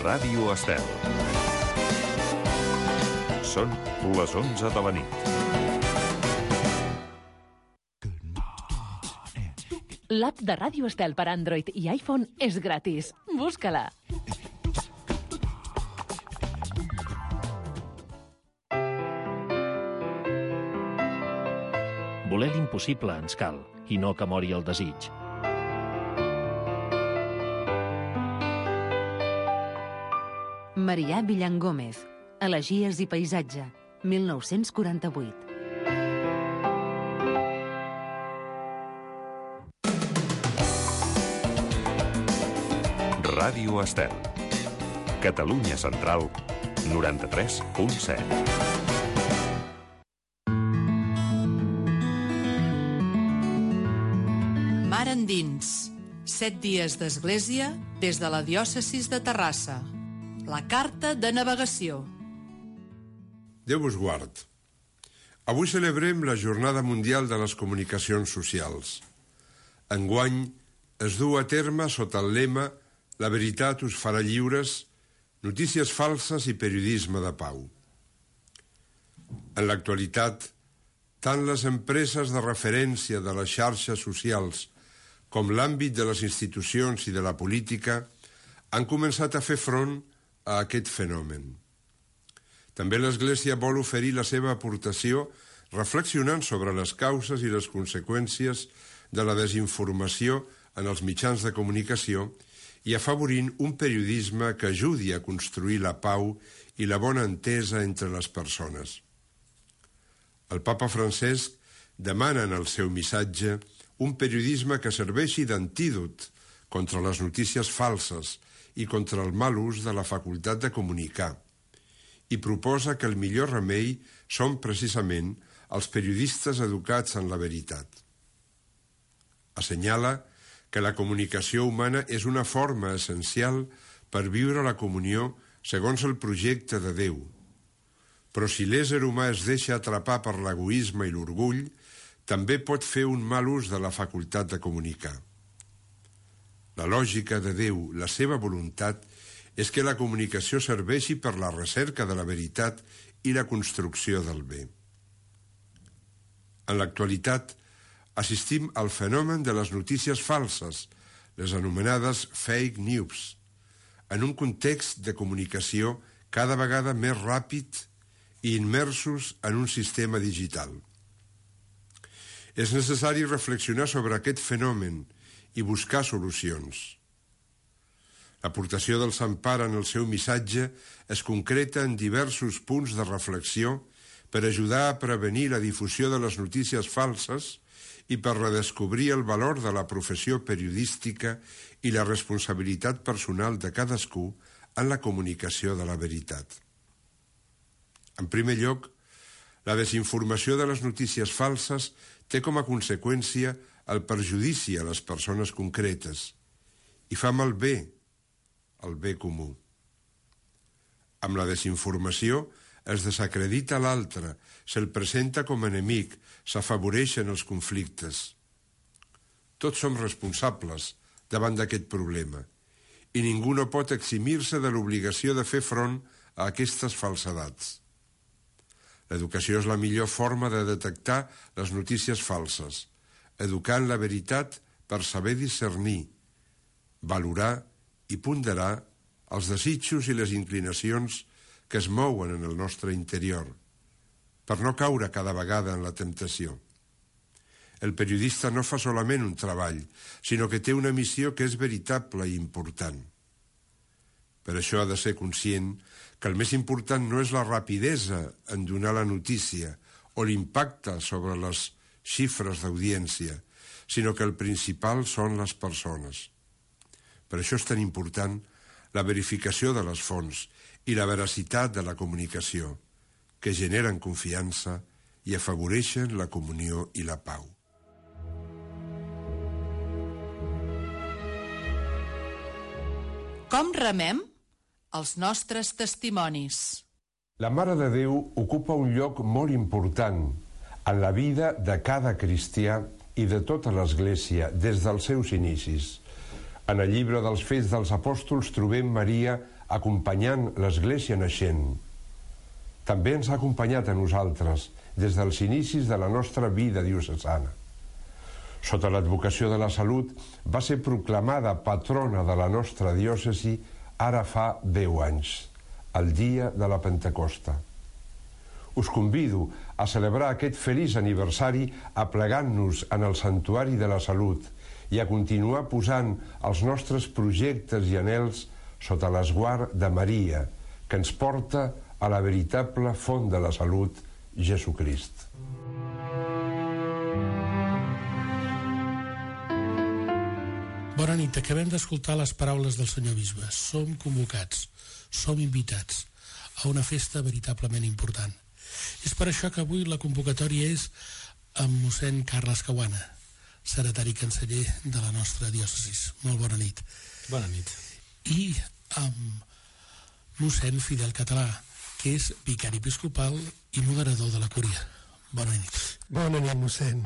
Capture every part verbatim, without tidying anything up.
Ràdio Estel. Són les onze de la nit. L'app de Ràdio Estel per Android i iPhone és gratis. Busca-la. Voler l'impossible ens cal, i no que mori el desig. Marià Villangómez, Elegies i paisatge, mil nou-cents quaranta-vuit. Ràdio Estel. Catalunya Central, noranta-tres punt set. Mar endins. Set dies d'església des de la diòcesis de Terrassa. La carta de navegació. Déu vos guard. Avui celebrem la Jornada Mundial de les Comunicacions Socials. Enguany es du a terme sota el lema La veritat us farà lliures, notícies falses i periodisme de pau. En l'actualitat, tant les empreses de referència de les xarxes socials com l'àmbit de les institucions i de la política han començat a fer front a aquest fenomen. També l'Església vol oferir la seva aportació reflexionant sobre les causes i les conseqüències de la desinformació en els mitjans de comunicació i afavorint un periodisme que ajudi a construir la pau i la bona entesa entre les persones. El papa Francesc demana en el seu missatge un periodisme que serveixi d'antídot contra les notícies falses i contra el mal ús de la facultat de comunicar, i proposa que el millor remei són precisament els periodistes educats en la veritat. Assenyala que la comunicació humana és una forma essencial per viure la comunió segons el projecte de Déu. Però si l'ésser humà es deixa atrapar per l'egoisme i l'orgull, també pot fer un mal ús de la facultat de comunicar. La lògica de Déu, la seva voluntat, és que la comunicació serveixi per la recerca de la veritat i la construcció del bé. En l'actualitat, assistim al fenomen de les notícies falses, les anomenades fake news, en un context de comunicació cada vegada més ràpid i immersos en un sistema digital. És necessari reflexionar sobre aquest fenomen i buscar solucions. L'aportació del Sant Pare en el seu missatge es concreta en diversos punts de reflexió per ajudar a prevenir la difusió de les notícies falses i per redescobrir el valor de la professió periodística i la responsabilitat personal de cadascú en la comunicació de la veritat. En primer lloc, la desinformació de les notícies falses té com a conseqüència el perjudici a les persones concretes i fa malbé el bé comú. Amb la desinformació es desacredita l'altre, se'l presenta com a enemic, s'afavoreixen els conflictes. Tots som responsables davant d'aquest problema i ningú no pot eximir-se de l'obligació de fer front a aquestes falsedats. L'educació és la millor forma de detectar les notícies falses, educant la veritat per saber discernir, valorar i ponderar els desitjos i les inclinacions que es mouen en el nostre interior, per no caure cada vegada en la temptació. El periodista no fa solament un treball, sinó que té una missió que és veritable i important. Per això ha de ser conscient que el més important no és la rapidesa en donar la notícia o l'impacte sobre les xifres d'audiència, sinó que el principal són les persones. Per això és tan important la verificació de les fonts i la veracitat de la comunicació, que generen confiança i afavoreixen la comunió i la pau. Com remem els nostres testimonis? La Mare de Déu ocupa un lloc molt important en la vida de cada cristià i de tota l'Església des dels seus inicis. En el llibre dels Fets dels Apòstols trobem Maria acompanyant l'Església naixent. També ens ha acompanyat a nosaltres des dels inicis de la nostra vida diocesana. Sota l'advocació de la salut, va ser proclamada patrona de la nostra diòcesi ara fa deu anys, el dia de la Pentecosta. Us convido a celebrar aquest feliç aniversari aplegant-nos en el Santuari de la Salut i a continuar posant els nostres projectes i anhels sota l'esguard de Maria, que ens porta a la veritable font de la salut, Jesucrist. Bona nit, acabem d'escoltar les paraules del senyor bisbe. Som convocats, som invitats a una festa veritablement important. És per això que avui la convocatòria és amb mossèn Carles Caguana, secretari canceller de la nostra diòcesis. Molt bona nit. Bona nit. I amb mossèn Fidel Català, que és vicari episcopal i moderador de la Cúria. Bona nit. Bona nit, mossèn.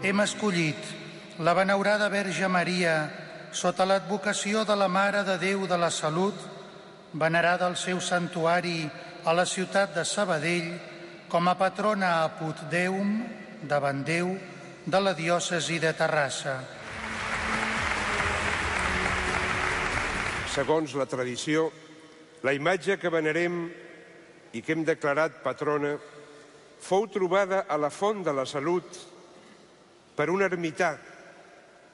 Hem escollit la benaurada Verge Maria sota l'advocació de la Mare de Déu de la Salut, venerada al seu santuari a la ciutat de Sabadell com a patrona apud Deum, davant Déu, de la diòcesi de Terrassa. Segons la tradició, la imatge que venerem i que hem declarat patrona fou trobada a la Font de la Salut per un ermità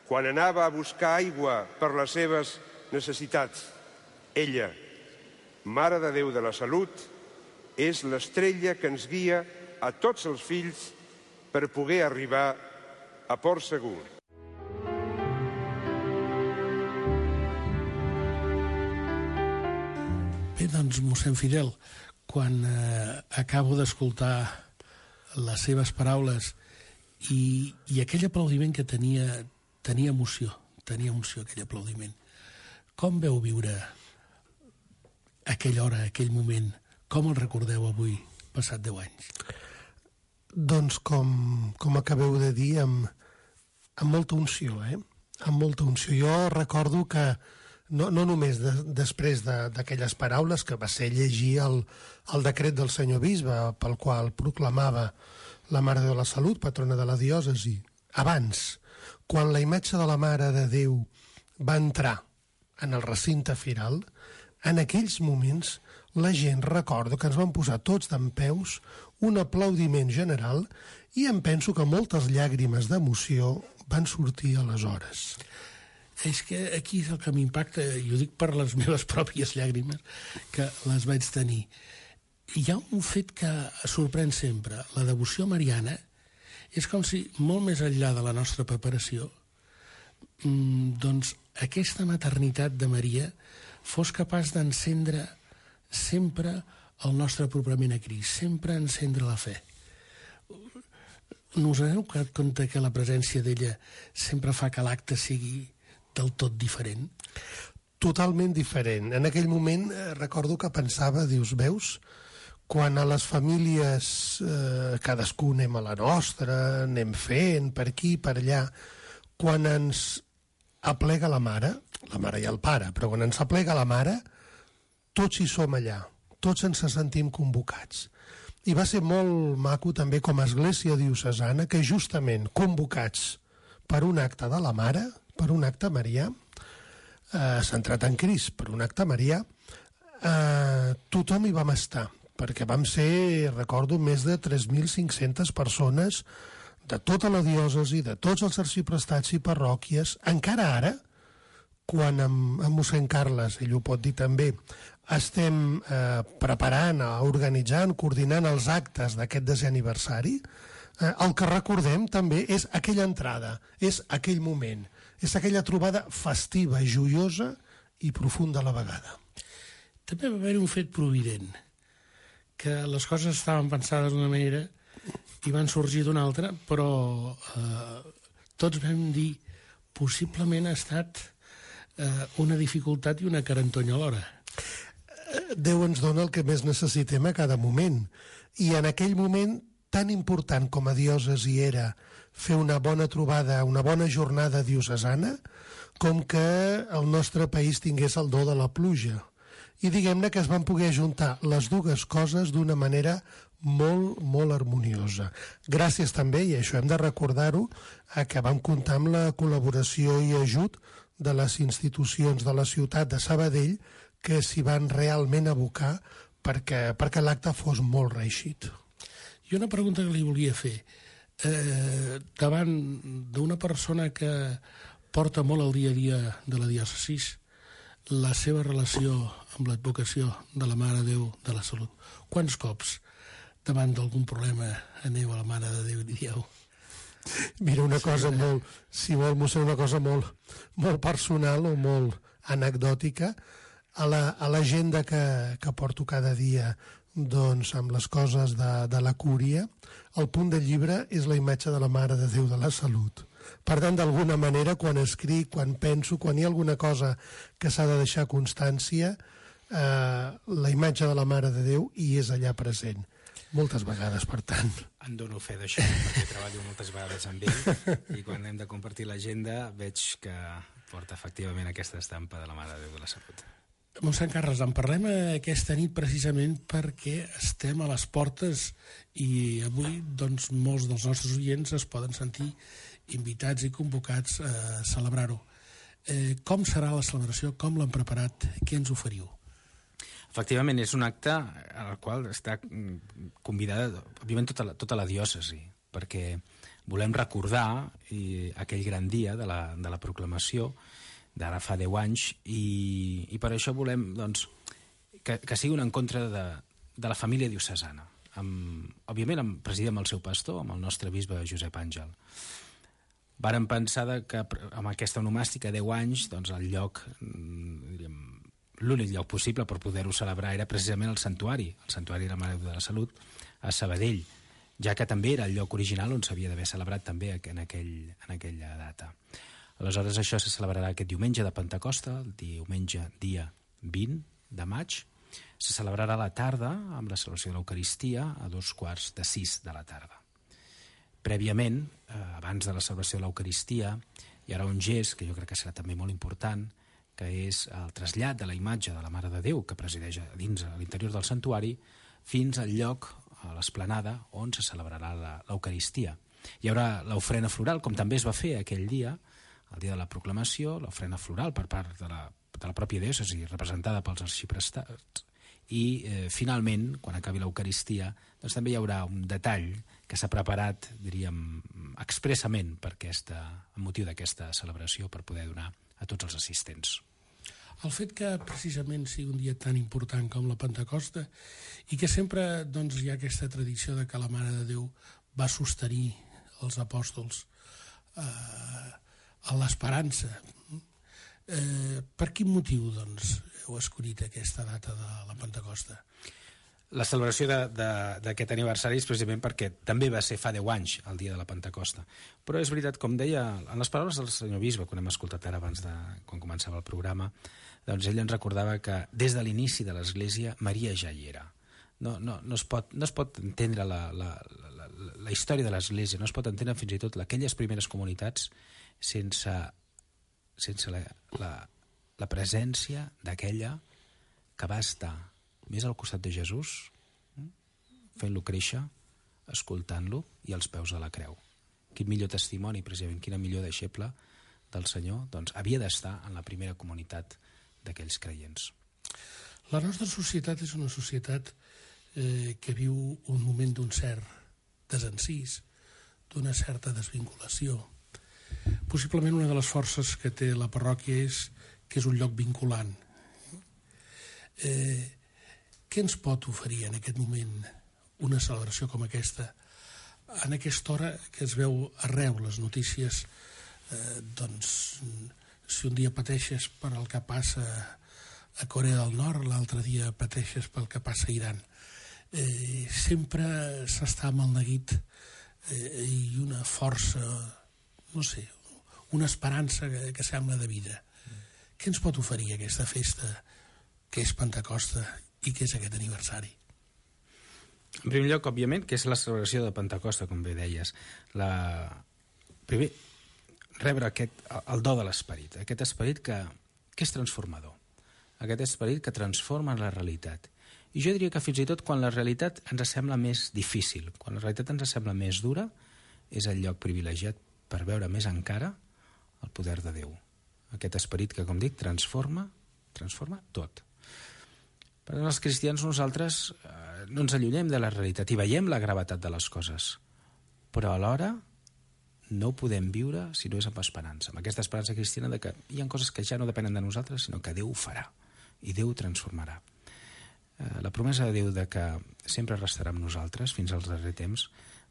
quan anava a buscar aigua per les seves necessitats. Ella, Mare de Déu de la Salut, és l'estrella que ens guia a tots els fills per poder arribar a port segur. Bé, doncs, mossèn Fidel, quan eh, acabo d'escoltar les seves paraules i, i aquell aplaudiment que tenia, tenia emoció, tenia emoció aquell aplaudiment, com veu viure aquella hora, aquell moment? Com el recordeu avui, passat deu anys? Doncs com, com acabeu de dir, amb, amb molta unció, eh? Amb molta unció. Jo recordo que no, no només de, després d'aquelles paraules que va ser llegir el, el decret del senyor bisbe pel qual proclamava la Mare de la Salut, patrona de la diòcesi. Abans, quan la imatge de la Mare de Déu va entrar en el recinte firal, en aquells moments la gent, recordo que ens van posar tots dempeus, un aplaudiment general, i em penso que moltes llàgrimes d'emoció van sortir aleshores. És que aquí és el que m'impacta, i ho dic per les meves pròpies llàgrimes, que les vaig tenir. Hi ha un fet que sorprèn sempre. La devoció mariana és com si, molt més enllà de la nostra preparació, doncs aquesta maternitat de Maria fos capaç d'encendre sempre el nostre apropament a Crist, sempre encendre la fe. No us heu donat compte que la presència d'ella sempre fa que l'acte sigui del tot diferent? Totalment diferent. En aquell moment eh, recordo que pensava, dius, veus, quan a les famílies eh, cadascú anem a la nostra, anem fent per aquí, per allà, quan ens aplega la mare, la mare i el pare, però quan ens aplega la mare, tots hi som allà, tots ens sentim convocats. I va ser molt maco també com a església diocesana que justament convocats per un acte de la mare, per un acte marià, eh, centrat en Crist, per un acte marià, eh, tothom hi vam estar, perquè vam ser, recordo, més de tres mil cinc-centes persones de tota la diòcesi, de tots els arxiprestats i parròquies. Encara ara, quan amb, amb mossèn Carles, ell ho pot dir també, estem eh, preparant, organitzant, coordinant els actes d'aquest desè aniversari, eh, el que recordem també és aquella entrada, és aquell moment, és aquella trobada festiva, joiosa i profunda a la vegada. També va haver un fet provident, que les coses estaven pensades d'una manera i van sorgir d'una altra, però eh, tots vam dir possiblement ha estat eh, una dificultat i una carantonya alhora. Déu ens dona el que més necessitem a cada moment. I en aquell moment tan important com a diòcesi era fer una bona trobada, una bona jornada diocesana, com que el nostre país tingués el do de la pluja. I diguem-ne que es van poder juntar les dues coses d'una manera molt, molt harmoniosa. Gràcies també, i això hem de recordar-ho, a que vam comptar amb la col·laboració i ajut de les institucions de la ciutat de Sabadell, que s'hi van realment abocar perquè, perquè l'acte fos molt reeixit. I una pregunta que li volia fer. Eh, davant d'una persona que porta molt el dia a dia de la diòcesi, la seva relació amb l'advocació de la Mare de Déu de la Salut, quants cops davant d'algun problema aneu a la Mare de Déu i li dieu? Mira, una cosa molt, si vol, mossèn, una cosa molt, molt personal o molt anecdòtica, a la, a l'agenda que, que porto cada dia, doncs, amb les coses de, de la cúria, el punt del llibre és la imatge de la Mare de Déu de la Salut. Per tant, d'alguna manera, quan escric, quan penso, quan hi ha alguna cosa que s'ha de deixar constància, eh, la imatge de la Mare de Déu hi és allà present. Moltes vegades, per tant. En dono fe d'això, perquè treballo moltes vegades amb ell, i quan hem de compartir l'agenda veig que porta efectivament aquesta estampa de la Mare de Déu de la Salut. Mossèn Carles, en parlem aquesta nit precisament perquè estem a les portes i avui doncs, molts dels nostres oients es poden sentir invitats i convocats a celebrar-ho. Eh, com serà la celebració? Com l'han preparat? Què ens oferiu? Efectivament, és un acte al qual està convidada, òbviament, tota la, tota la diòcesi, perquè volem recordar i, aquell gran dia de la, de la proclamació d'ara fa deu anys, i, i per això volem doncs, que, que sigui un encontre de, de la família diocesana. Amb, òbviament, amb, presidit amb el seu pastor, amb el nostre bisbe Josep Àngel. Vàrem pensar que amb aquesta onomàstica deu anys, doncs, el lloc, diríem, l'únic lloc possible per poder-ho celebrar era precisament el santuari, el santuari de la Mare de la Salut, a Sabadell, ja que també era el lloc original on s'havia d'haver celebrat també en, aquell, en aquella data. Aleshores, això se celebrarà aquest diumenge de Pentecosta, el diumenge dia vint de maig. Se celebrarà a la tarda amb la celebració de l'Eucaristia a dos quarts de sis de la tarda. Prèviament, eh, abans de la celebració de l'Eucaristia, hi haurà un gest que jo crec que serà també molt important, que és el trasllat de la imatge de la Mare de Déu que presideix a dins a l'interior del santuari fins al lloc, a l'esplanada, on se celebrarà l'Eucaristia. Hi haurà l'ofrena floral, com també es va fer aquell dia, el dia de la proclamació, l'ofrena floral per part de la, de la pròpia diòcesi, representada pels arxiprestats, i eh, finalment, quan acabi l'Eucaristia, doncs també hi haurà un detall que s'ha preparat, diríem, expressament per aquesta, amb motiu d'aquesta celebració, per poder donar a tots els assistents. El fet que precisament sigui un dia tan important com la Pentecosta i que sempre doncs, hi ha aquesta tradició de que la Mare de Déu va sostenir els apòstols eh, a l'esperança. Eh, per quin motiu doncs, heu escollit aquesta data de la Pentecosta? La celebració d'aquest aniversari és precisament perquè també va ser fa deu anys el dia de la Pentecosta. Però és veritat, com deia, en les paraules del senyor bisbe, quan hem escoltat ara abans de quan començava el programa, doncs ell ens recordava que des de l'inici de l'Església Maria ja hi era. No, no, no, es pot, no es pot entendre la, la, la, la història de l'Església, no es pot entendre fins i tot aquelles primeres comunitats sense, sense la, la, la presència d'aquella que va estar més al costat de Jesús, fent-lo créixer, escoltant-lo i als peus de la creu. Quin millor testimoni, precisament, quina millor deixeble del Senyor, doncs havia d'estar en la primera comunitat d'aquells creients. La nostra societat és una societat eh, que viu un moment d'un cert desencís, d'una certa desvinculació. Possiblement una de les forces que té la parròquia és que és un lloc vinculant. Eh, què ens pot oferir en aquest moment una celebració com aquesta? En aquesta hora que es veu arreu les notícies, eh, doncs, si un dia pateixes per el que passa a Corea del Nord, l'altre dia pateixes pel que passa a Iran. Eh, sempre s'està amb el neguit eh, i una força, no sé, una esperança que, que sembla de vida. Què ens pot oferir aquesta festa que és Pentecosta i que és aquest aniversari? En primer lloc, òbviament, que és la celebració de Pentecosta, com bé deies. La... Primer, rebre aquest, el do de l'esperit, aquest esperit que, que és transformador, aquest esperit que transforma la realitat. I jo diria que fins i tot quan la realitat ens sembla més difícil, quan la realitat ens sembla més dura, és el lloc privilegiat per veure més encara el poder de Déu. Aquest esperit que, com dic, transforma, transforma tot. Per tant, els cristians nosaltres eh, no ens allunyem de la realitat i veiem la gravetat de les coses, però alhora no ho podem viure si no és amb esperança, amb aquesta esperança cristiana de que hi ha coses que ja no depenen de nosaltres, sinó que Déu ho farà i Déu ho transformarà. Eh, la promesa de Déu de que sempre restarà amb nosaltres fins al darrer temps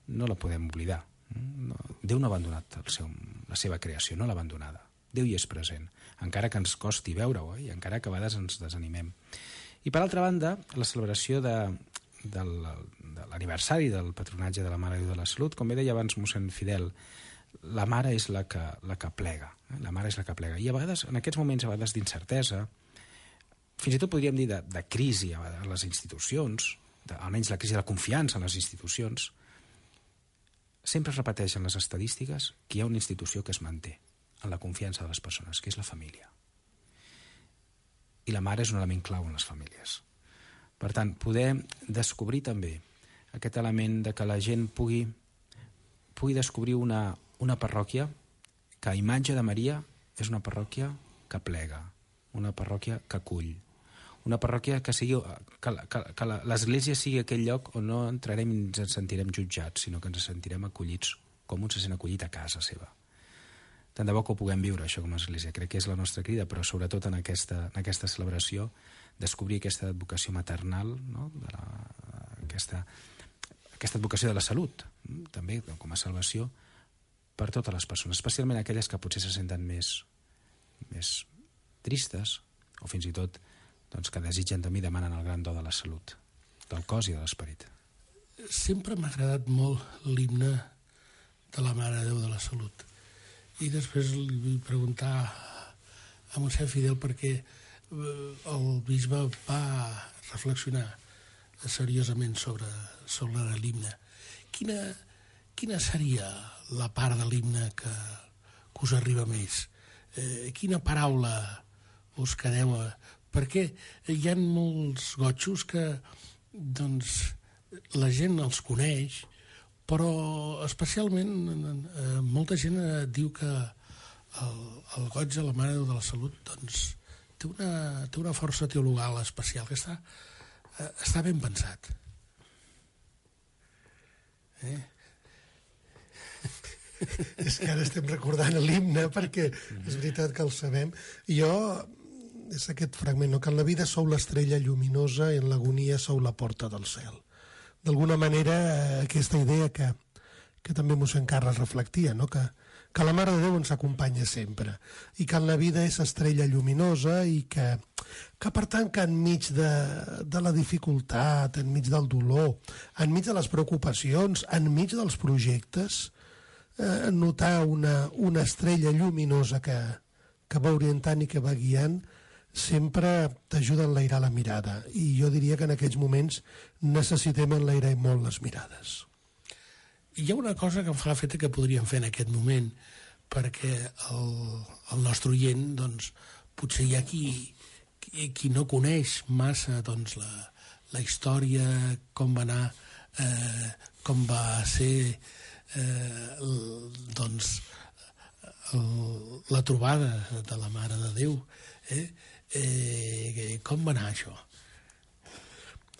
no la podem oblidar. No, Déu no ha abandonat el seu, la seva creació, no l'ha abandonada. Déu hi és present, encara que ens costi veure-ho, eh, i encara que a vegades ens desanimem. I per altra banda, la celebració de, de l'aniversari del patronatge de la Mare de Déu de la Salut, com bé deia abans mossèn Fidel, la mare és la que, la que plega, eh? la mare és la que plega. I a vegades, en aquests moments a vegades d'incertesa, fins i tot podríem dir de, de crisi a les institucions, de, almenys la crisi de la confiança en les institucions, sempre es repeteixen les estadístiques que hi ha una institució que es manté en la confiança de les persones, que és la família. I la mare és un element clau en les famílies. Per tant, poder descobrir també aquest element de que la gent pugui, pugui descobrir una, una parròquia que a imatge de Maria és una parròquia que plega, una parròquia que acull, una parròquia que sigui que, que, que l'església sigui aquell lloc on no entrarem i ens sentirem jutjats, sinó que ens sentirem acollits com un se sent acollit a casa seva. Tant de bo que ho puguem viure, això, com a església. Crec que és la nostra crida, però sobretot en aquesta, en aquesta celebració, descobrir aquesta advocació maternal, no? de la, aquesta, aquesta advocació de la salut, també com a salvació, per totes les persones, especialment aquelles que potser se senten més, més tristes, o fins i tot doncs, que desitgen també i demanen el gran do de la salut, del cos i de l'esperit. Sempre m'ha agradat molt l'himne de la Mare de Déu de la Salut. I després li vull preguntar a mossèn Fidel perquè el bisbe va reflexionar seriosament sobre, sobre l'himne. Quina, quina seria la part de l'himne que, que us arriba més? Eh, quina paraula us quedeu? Perquè hi ha molts gotxos que doncs, la gent els coneix, però especialment eh, molta gent eh, diu que el, el goig de la Mare de Déu de la Salut doncs, té, una, té una força teologal especial que està, eh, està ben pensat. Eh? És que ara estem recordant l'himne perquè és veritat que el sabem. Jo, és aquest fragment, no? Que en la vida sou l'estrella lluminosa i en l'agonia sou la porta del cel. D'alguna manera, aquesta idea que, que també mossèn Carles reflectia, no? que, que la Mare de Déu ens acompanya sempre i que en la vida és estrella lluminosa i que, que per tant, que enmig de, de la dificultat, enmig del dolor, enmig de les preocupacions, enmig dels projectes, eh, notar una, una estrella lluminosa que, que va orientant i que va guiant, sempre t'ajuda a enlairar la mirada. I jo diria que en aquests moments necessitem enlairar molt les mirades. Hi ha una cosa que em fa l'efecte que podríem fer en aquest moment, perquè el, el nostre oient, doncs, potser hi ha qui, qui, qui no coneix massa doncs, la, la història, com va anar, eh, com va ser eh, el, doncs, el, la trobada de la Mare de Déu, eh? Eh, com va anar això?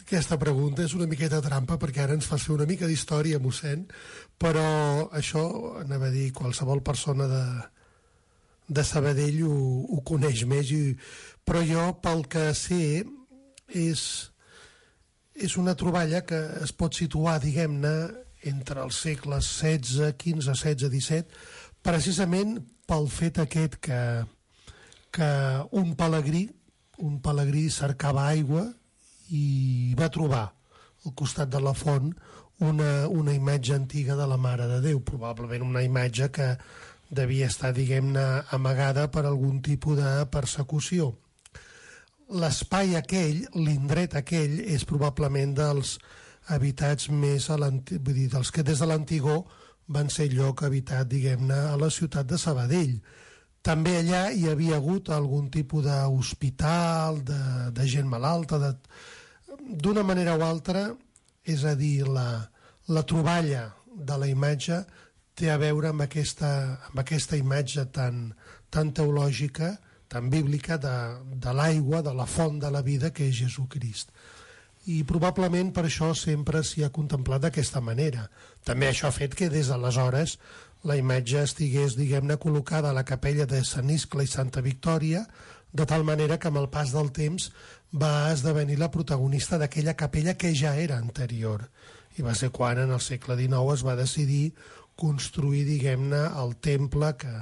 Aquesta pregunta és una miqueta trampa perquè ara ens fa fer una mica d'història, mossèn, però això, anava a dir, qualsevol persona de, de Sabadell ho, ho coneix més, i, però jo, pel que sé, és, és una troballa que es pot situar, diguem-ne, entre els segles setze, quinze, setze, disset, precisament pel fet aquest que que un pelegrí, un pelegrí cercava aigua i va trobar al costat de la font una, una imatge antiga de la Mare de Déu, probablement una imatge que devia estar, diguem-ne, amagada per algun tipus de persecució. L'espai aquell, l'indret aquell, és probablement dels habitats més a l'anti... vull dir, dels que des de l'antigor van ser lloc habitat, diguem-ne, a la ciutat de Sabadell. També allà hi havia hagut algun tipus d'hospital, de, de gent malalta, de... d'una manera o altra, és a dir, la, la troballa de la imatge té a veure amb aquesta, amb aquesta imatge tan, tan teològica, tan bíblica, de, de l'aigua, de la font de la vida que és Jesucrist. I probablement per això sempre s'hi ha contemplat d'aquesta manera. També això ha fet que des d'aleshores la imatge estigués, diguem-ne, col·locada a la capella de Sant Iscle i Santa Victòria, de tal manera que amb el pas del temps va esdevenir la protagonista d'aquella capella que ja era anterior. I va ser quan en el segle dinou es va decidir construir, diguem-ne, el temple que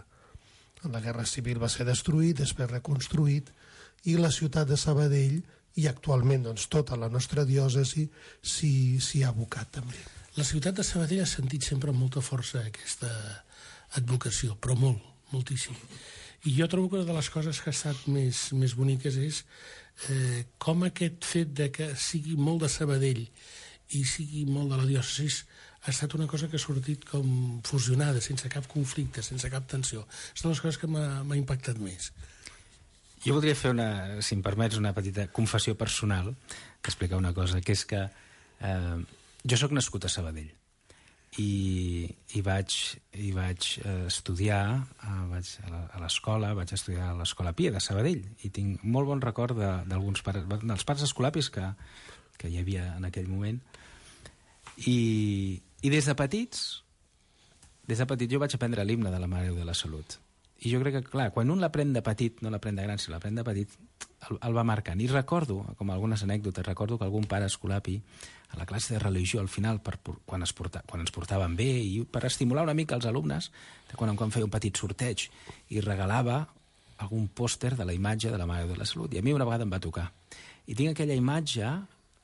en la Guerra Civil va ser destruït, després reconstruït, i la ciutat de Sabadell, i actualment doncs, tota la nostra diòcesi s'hi ha abocat també. La ciutat de Sabadell ha sentit sempre amb molta força aquesta advocació, però molt, moltíssim. I jo trobo que una de les coses que ha estat més, més boniques és eh, com aquest fet de que sigui molt de Sabadell i sigui molt de la diòcesis ha estat una cosa que ha sortit com fusionada, sense cap conflicte, sense cap tensió. És de les coses que m'ha impactat més. Jo voldria fer, una, si em permets, una petita confessió personal, que explicar una cosa, que és que eh, jo sóc nascut a Sabadell i, i vaig, i vaig estudiar eh, vaig a l'escola, vaig estudiar a l'Escola Pia de Sabadell i tinc molt bon record d'alguns pares, dels pares escolapis que, que hi havia en aquell moment. I, i des de petits, des de petit jo vaig aprendre l'himne de la Mare de la Salut. I jo crec que, clar, quan un l'aprèn de petit, no l'aprèn de gran, si l'aprèn de petit, el, el va marcant. I recordo, com algunes anècdotes, recordo que algun pare escolapi, a la classe de religió, al final, per, quan, es porta, quan ens portaven bé, i per estimular una mica els alumnes, de quan en quan feia un petit sorteig, i regalava algun pòster de la imatge de la Mare de la Salut. I a mi una vegada em va tocar. I tinc aquella imatge,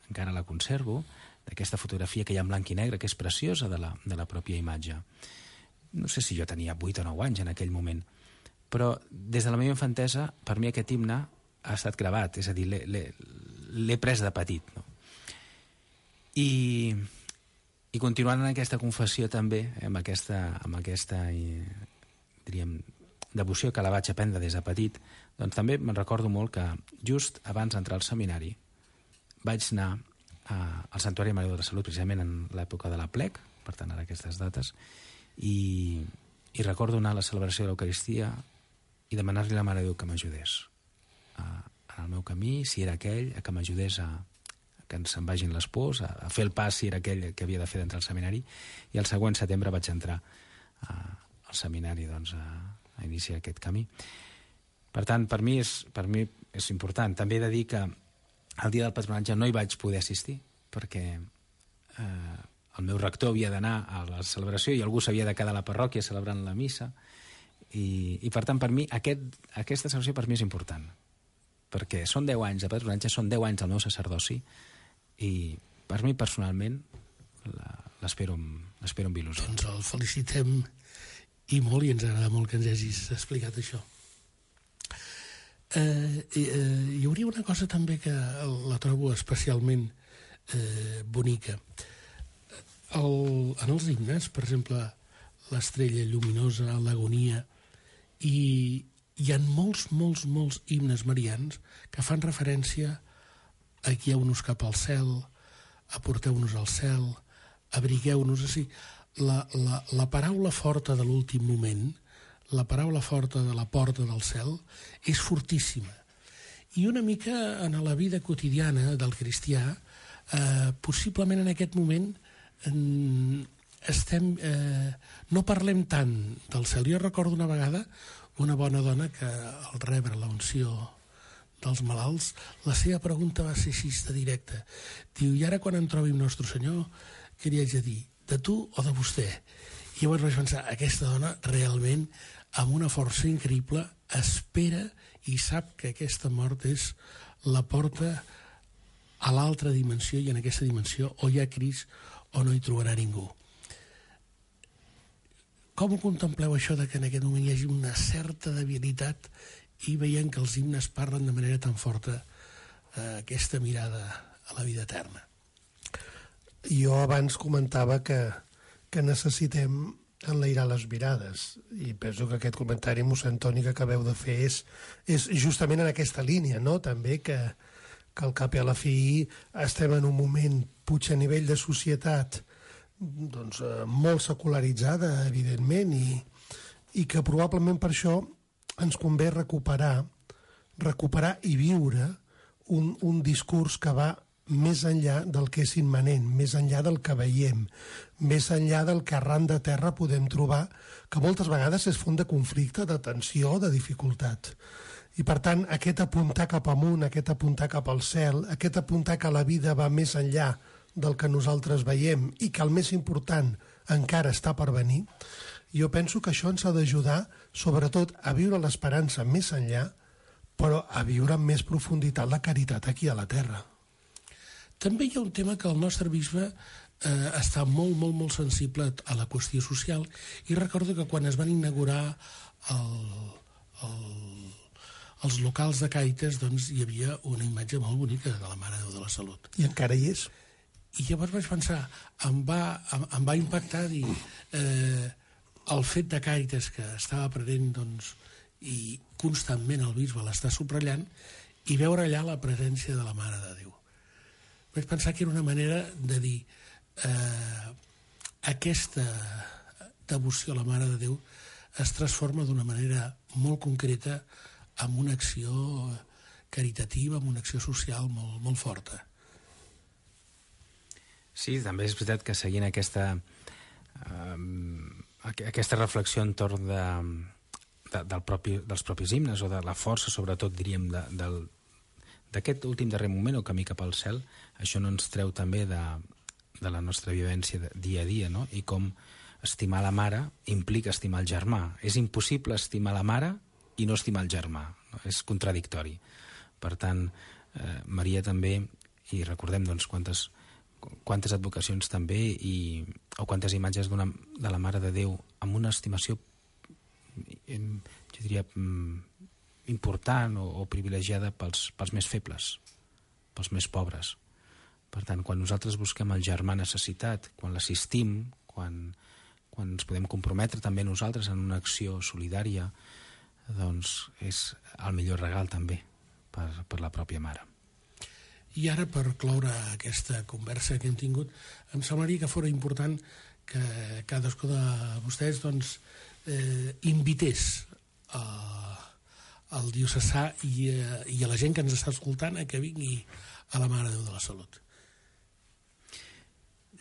encara la conservo, d'aquesta fotografia que hi ha en blanc i negre, que és preciosa de la, de la pròpia imatge. No sé si jo tenia vuit o nou anys en aquell moment, però des de la meva infantesa, per mi aquest himne ha estat gravat, és a dir, l'he pres de petit. No? I, I continuant en aquesta confessió també, amb aquesta, amb aquesta diríem, devoció que la vaig aprendre des de petit, doncs també me'n recordo molt que just abans d'entrar al seminari vaig anar a, al Santuari de Mare de la Salut, precisament en l'època de la plec, per tant, ara aquestes dates, i, i recordo anar a la celebració de l'Eucaristia i demanar-li a la Mare de Déu que m'ajudés en el meu camí, si era aquell, a que m'ajudés a, a que se'n vagin les pors, a, a fer el pas si era aquell que havia de fer d'entrar al seminari, i el següent setembre vaig entrar a, al seminari doncs, a, a iniciar aquest camí. Per tant, per mi, és, per mi és important. També he de dir que el dia del patronatge no hi vaig poder assistir, perquè eh, el meu rector havia d'anar a la celebració i algú s'havia de quedar a la parròquia celebrant la missa, i, i per tant, per mi, aquest, aquesta celebració per mi és important, perquè són deu anys de patronatge, són deu anys del meu sacerdoci, i per mi, personalment, l'espero amb, amb il·lusió. Doncs el felicitem i molt, i ens agrada molt que ens hagis explicat això. Eh, eh, hi hauria una cosa també que la trobo especialment eh, bonica. El, en els himnes, per exemple, l'Estrella Lluminosa, l'Agonia, i hi ha molts, molts, molts himnes marians que fan referència a guieu-nos cap al cel, aporteu-nos al cel, abrigueu-nos. Així, la, la, la paraula forta de l'últim moment, la paraula forta de la porta del cel, és fortíssima. I una mica en la vida quotidiana del cristià, eh, possiblement en aquest moment eh, estem, eh, no parlem tant del cel. Jo recordo una vegada una bona dona que al rebre la unció dels malalts, la seva pregunta va ser així de directa. Diu, i ara quan em trobi amb Nostre Senyor, què li haig de dir? De tu o de vostè? I llavors vaig pensar, aquesta dona realment, amb una força increïble, espera i sap que aquesta mort és la porta a l'altra dimensió, i en aquesta dimensió o hi ha Crist o no hi trobarà ningú. Com ho contempleu això de que en aquest moment hi hagi una certa debilitat i veient que els himnes parlen de manera tan forta eh, aquesta mirada a la vida eterna? Jo abans comentava que, que necessitem enlairar les mirades, i penso que aquest comentari, mossèn Toni, que acabeu de fer és, és justament en aquesta línia, no? També que, que al cap i a la fi estem en un moment, potser a nivell de societat, doncs, molt secularitzada, evidentment, i, i que probablement per això ens convé recuperar, recuperar i viure un, un discurs que va més enllà del que és immanent, més enllà del que veiem, més enllà del que arran de terra podem trobar, que moltes vegades és font de conflicte, de tensió, de dificultat. I per tant, aquest apuntar cap amunt, aquest apuntar cap al cel, aquest apuntar que la vida va més enllà del que nosaltres veiem i que el més important encara està per venir, jo penso que això ens ha d'ajudar sobretot a viure l'esperança més enllà, però a viure amb més profunditat la caritat aquí a la terra. També hi ha un tema que el nostre bisbe eh, està molt, molt, molt sensible a la qüestió social, i recordo que quan es van inaugurar el, el, els locals de Càritas, doncs hi havia una imatge molt bonica de la Mare de Déu de la Salut. I encara hi és? I llavors vaig pensar, em va, em, em va impactar dir, eh, el fet de Càritas que estava present, doncs, i constantment el bisbe l'està subratllant, i veure allà la presència de la Mare de Déu. Vaig pensar que era una manera de dir eh, aquesta devoció a la Mare de Déu es transforma d'una manera molt concreta en una acció caritativa, en una acció social molt, molt forta. Sí, també és veritat que seguint aquesta, eh, aquesta reflexió entorn de, de, del propi, dels propis himnes, o de la força, sobretot, diríem, de, del d'aquest últim darrer moment, o camí cap al cel, això no ens treu també de, de la nostra vivència de dia a dia, no? I com estimar la mare implica estimar el germà. És impossible estimar la mare i no estimar el germà, no? És contradictori. Per tant, eh, Maria també, i recordem doncs, quantes, quantes advocacions també, i, o quantes imatges d'una, de la Mare de Déu amb una estimació, jo diria, important o, o privilegiada pels, pels més febles, pels més pobres. Per tant, quan nosaltres busquem el germà necessitat, quan l'assistim, quan, quan ens podem comprometre també nosaltres en una acció solidària, doncs és el millor regal també per, per la pròpia mare. I ara, per cloure aquesta conversa que hem tingut, em semblaria que fora important que cadascú de vostès doncs, eh, invités a al diocesà i a, i a la gent que ens està escoltant a que vingui a la Mare de Déu de la Salut.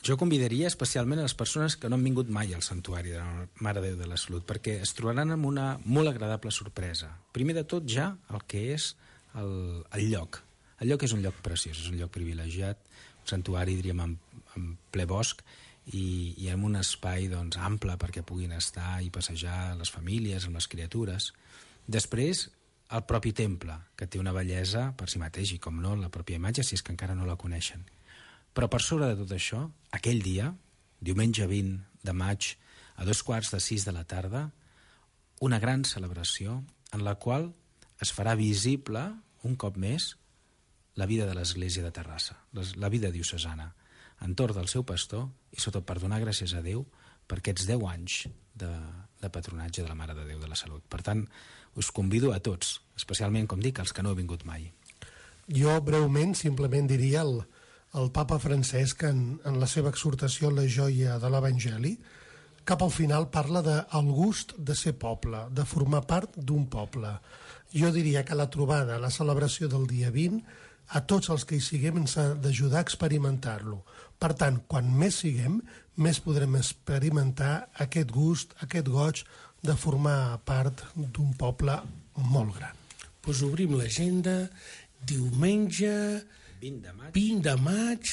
Jo convidaria especialment a les persones que no han vingut mai al santuari de la Mare de Déu de la Salut, perquè es trobaran amb una molt agradable sorpresa. Primer de tot, ja el que és el, el lloc. El lloc és un lloc preciós, és un lloc privilegiat, un santuari, diríem, en, en ple bosc, i, i amb un espai doncs, ample perquè puguin estar i passejar les famílies amb les criatures. Després, el propi temple, que té una bellesa per si mateix, i com no, la pròpia imatge, si és que encara no la coneixen. Però per sobre de tot això, aquell dia, diumenge vint de maig, a dos quarts de sis de la tarda, una gran celebració en la qual es farà visible, un cop més, la vida de l'Església de Terrassa, la vida diocesana, entorn del seu pastor, i sobretot per donar gràcies a Déu per aquests deu anys de, de patronatge de la Mare de Déu de la Salut. Per tant, us convido a tots, especialment, com dic, els que no heu vingut mai. Jo, breument, simplement diria el, el papa Francesc, en, en la seva exhortació a la joia de l'Evangeli, cap al final parla del gust de ser poble, de formar part d'un poble. Jo diria que la trobada, la celebració del dia vint, a tots els que hi siguem ens ha d'ajudar a experimentar-lo. Per tant, quan més siguem, més podrem experimentar aquest gust, aquest goig de formar part d'un poble molt gran. Doncs obrim l'agenda, diumenge vint de maig, vint de maig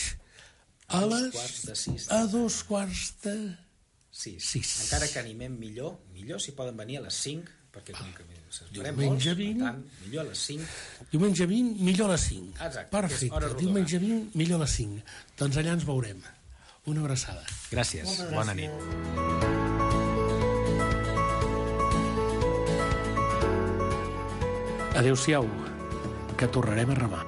a, a les quarts de sis. a dos quarts de sis. sis. Encara que animem millor, millor si poden venir a les cinc, perquè com que s'esperem diumenge molts, vint, per tant, millor a les cinc. Diumenge vint, millor a les cinc. Exacte, perfecte, diumenge vint, millor a les cinc. Doncs allà ens veurem. Una abraçada. Gràcies, gràcies. Bona nit. Adéu-siau, que tornarem a remar.